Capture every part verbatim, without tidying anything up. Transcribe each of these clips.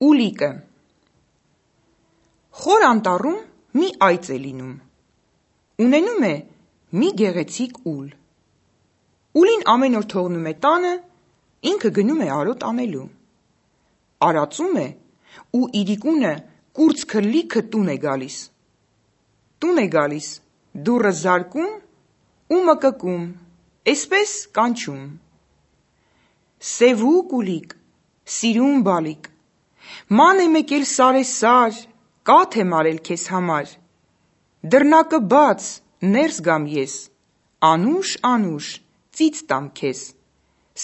Ուլիկը Խոր անտառում մի այծ է լինում, ունենում է մի գեղեցիկ ուլ, ուլին ամեն օր թողնում է տանը, ինքը գնում է արոտ անելու, արածում է ու իրիկունը կուրծքը լիքը տուն է գալիս, տուն է գալիս, դուռը զարկում ու մկկում, էսպես կանչում. Սևուկ ուլիկ, սիրուն բալիկ, ման է մեկել սարեսար, կաթ եմ արել քեզ համար, դռնակը բաց, ներս գամ ես, անուշ անուշ, ծիծ տամ քեզ,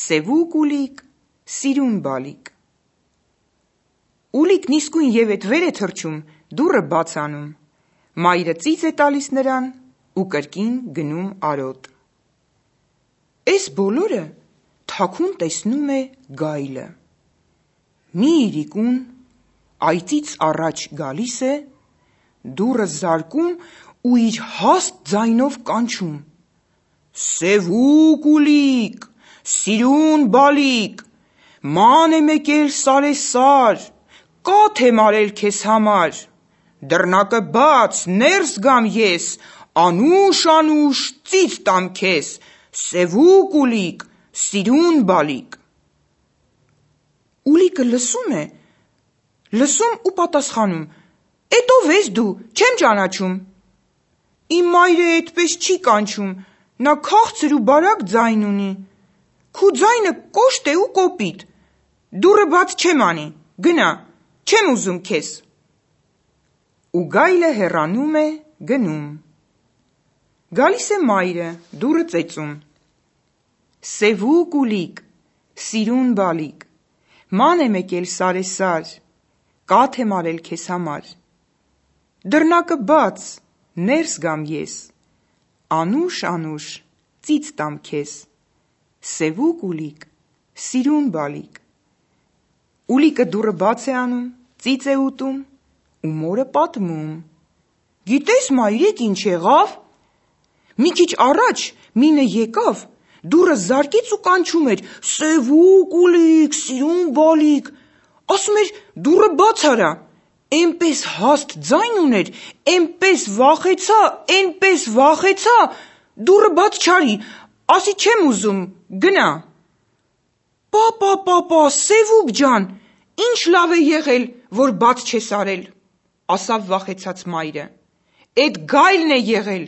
սևուկ ուլիկ, սիրուն բալիկ։ Ուլիկն իսկույն ևեթ վեր է թռչում, դուռը բաց անում, մայրը ծիծ է տալիս նրան ու կրկին գնում արոտ։ Էս բոլորը թաքուն տեսնում է գայլը, մի իրիկուն այծից առաջ գալիս է, դուռը զարկում ու իր հաստ ձայնով կանչում. Սևուկ ուլիկ, սիրուն բալիկ, ման է մեկել սարեսար, կաթ եմ արել քեզ համար, դռնակը բաց, ներս գամ ես, անուշ անուշ, ծիծ տամ քեզ, սևուկ ուլիկ, սիրուն բալիկ։ Ուլիկը լսում է, լսում ու պատասխանում. Էդ ով ես դու, չեմ ճանաչում։ Իմ մայրը էդպես չի կանչում, նա քաղցր ու բարակ ձայն ունի, քու ձայնը կոշտ է ու կոպիտ, դուռը բաց չեմ անի, գնա, չեմ ուզում քեզ։ Ու գայլը հեռանում է, գնում։ Գալիս է մայրը, դուռը ծեծում. Սևուկ ուլիկ, սիրուն բալիկ, ման է մեկել սարեսար, կաթ եմ արել քեզ համար, դռնակը բաց, ներս գամ ես, անուշ անուշ, ծիծ տամ քեզ, սևուկ ուլիկ, սիրուն բալիկ։ Ուլիկը դուռը բաց է անում, ծիծ է ուտում ու մորը պատմում. Գիտես մայրիկ ինչ եղավ, մի քիչ առաջ մինը եկավ, դուռը զարկեց ու կանչում էր. Սևուկ ուլիկ, սիրուն բալիկ, ասում էր դուռը բաց արա, էնպես հաստ ձայն ուներ, էնպես վախեցա, էնպես վախեցա, դուռը բաց չարի, ասի չեմ ուզում, գնա։ Պա պա պա պա, Սևուկ ջան, ինչ լավ է եղել, որ բաց չես արել, ասավ վախեցած մայրը, էդ գայլն է եղել,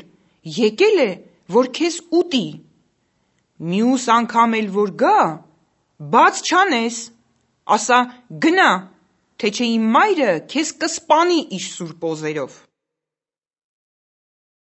եկել է, որ քեզ ուտի, մյուս անգամ էլ որ գա, բաց չանես, ասա գնա, թե չէ իմ մայրը քեզ կսպանի իր սուր պոզերով։